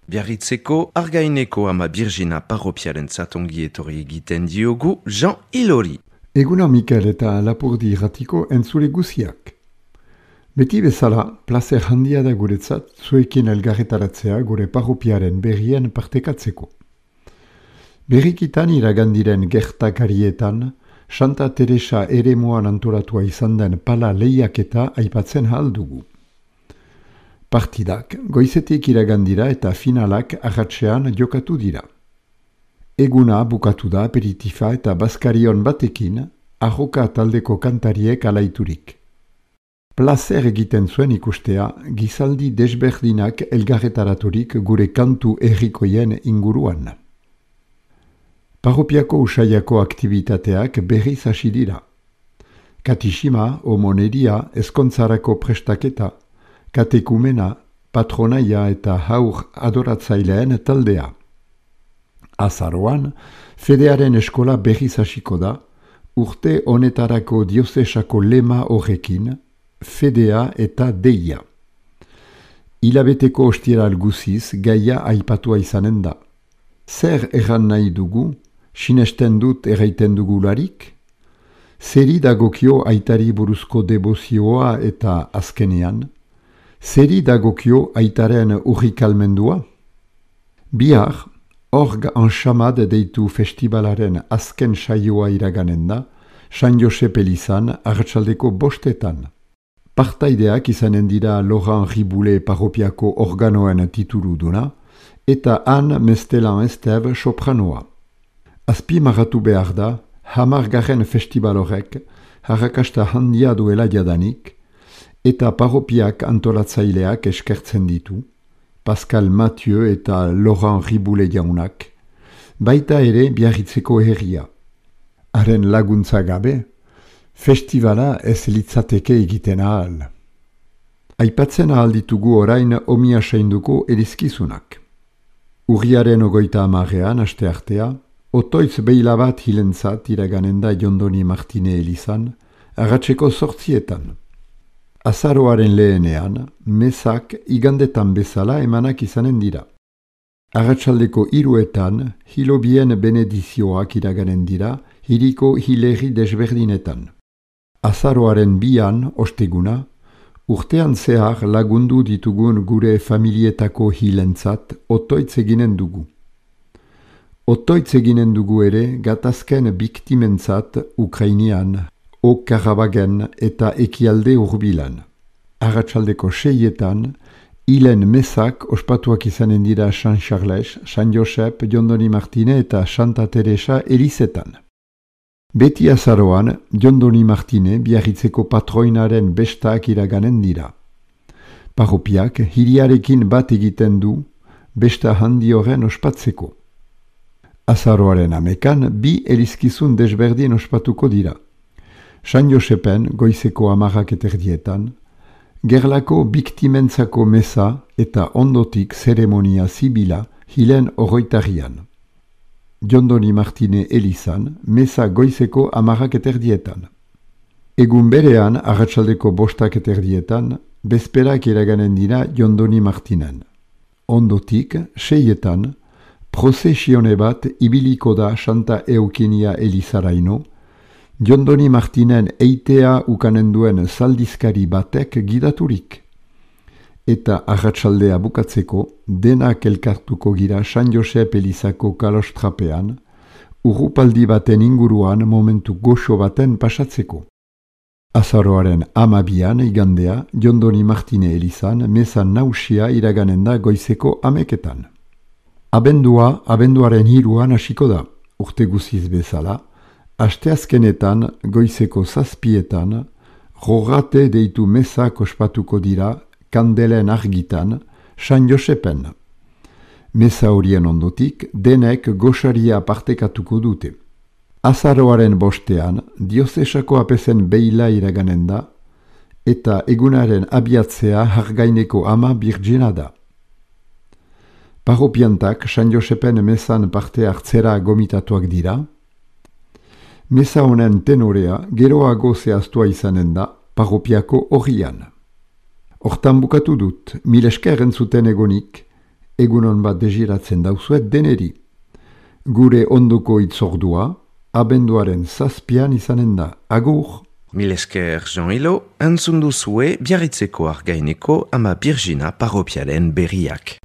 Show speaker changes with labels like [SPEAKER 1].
[SPEAKER 1] Biarritzeko Argaineko ama Birgina parropiaren zatongi etorri egiten diogu Jean Ilori.
[SPEAKER 2] Eguna Mikel eta Lapurdi irratiko entzule guziak. Beti bezala, plazer handia da guretzat zuekin elgarretaratzea gure parropiaren berrien partekatzeko. Berrikitan iragandiren gertakarietan, Santa Teresa eremuan antolatua izan den pala lehiaketa aipatzen haldugu. Partidak goizetik iragandira eta finalak arratsean jokatu dira. Eguna bukatu da aperitifa eta bazkarion batekin, arroka taldeko kantariek alaiturik. Plazer egiten zuen ikustea, gizaldi desberdinak elgarretaraturik gure kantu herrikoien inguruan. Parropiako usaiako aktivitateak berriz hasi dira. Katixima, homoneria, ezkontzarako prestaketa, katekumena, patronaia eta haur adoratzaileen taldea. Azaroan, fedearen eskola berriz hasiko da, urte honetarako diozesako lema horrekin, fedea eta deia. Hilabeteko ostieral guziz gaia aipatua izanen da. Zer erran nahi dugu, sinesten dut erraiten dugularik? Zeri dagokio aitari buruzko debozioa eta azkenean? Zeri dagokio aitaren urrikalmendua? Bihar, Org Anxamad deitu festivalaren azken saioa iraganen da, San Josep elizan arratsaldeko 5:00. Partaideak izanen dira Laurent Riboule parropiako organoen tituluduna, eta Han Mestelan Esteve sopranoa. Azpimarratu behar da, 10. festival horrek, harrakasta handia duela jadanik, eta parropiak antolatzaileak eskertzen ditu, Pascal Mathieu eta Laurent Riboule jaunak, baita ere Biarritzeko herria. Haren laguntza gabe, festivala ez litzateke egiten ahal. Aipatzen ahal ditugu orain omia seinduko erizkizunak. Urriaren 30. asteartea, otoitz beila bat hilentzat iraganen da Jondoni Martine elizan, arratseko 8:00. Azaroaren lehenean, mesak igandetan bezala emanak izanen dira. Arratsaldeko 3:00 hilobien benedizioak iraganen dira hiriko hilerri desberdinetan. Azaroaren 2, osteguna, urtean zehar lagundu ditugun gure familietako hilentzat otoitz eginen dugu. Otoitz eginen dugu ere gatazken biktimentzat Ukrainian, Karabagen eta ekialde hurbilan. Arratsaldeko 6:00 hilen mesak ospatuak izanen dira San Charles, San Josep, Jondoni Martine eta Santa Teresa elizetan. Beti azaroan, Jondoni Martine Biarritzeko patroinaren bestak iraganen dira. Parropiak hiriarekin bat egiten du besta handi horren ospatzeko. Azaroaren 11 2 elizkizun desberdin ospatuko dira. San Josepen goizeko 10:30, gerlako biktimentzako meza eta ondotik zeremonia zibila hilen 20. Jondoni Martine elizan, meza goizeko 10:30. Egun berean, arratsaldeko 5:30, bezperak iraganen dira Jondoni Martinen. Ondotik, 6:00, prozesione bat ibiliko da Santa Eukenia elizaraino, Jondoni Martinen eitea ukanen duen zaldizkari batek gidaturik. Eta arratsaldea bukatzeko, denak elkartuko gira San Josep elizako kalostrapean, urrupaldi baten inguruan momentu goxo baten pasatzeko. Azaroaren 12 igandea, Jondoni Martine elizan, meza nausia iraganen da goizeko 11:00. Abendua, abenduaren 3 hasiko da, urte guziz bezala, asteazkenetan goizeko 7:00, rogate deitu mezak ospatuko dira kandelen argitan, San Josepen. Meza horien ondotik, denek goxaria partekatuko dute. Azaroaren 5, diozesako apezen beila iraganen da, eta egunaren abiatzea Argaineko ama Birgina da. Parropiantak San Josepen mezan parte hartzera gomitatuak dira. Meza honen tenorea geroago zehaztua izanen da parropiako horrian. Hortan bukatu dut, mil esker entzuten egonik, egunon bat desiratzen dauzuet deneri. Gure onduko itzordua, abenduaren 7 izanen da. Agur!
[SPEAKER 1] Mil esker Jean-Hilo, entzun duzue Biarritzeko Argaineko ama Birjina parropiaren berriak.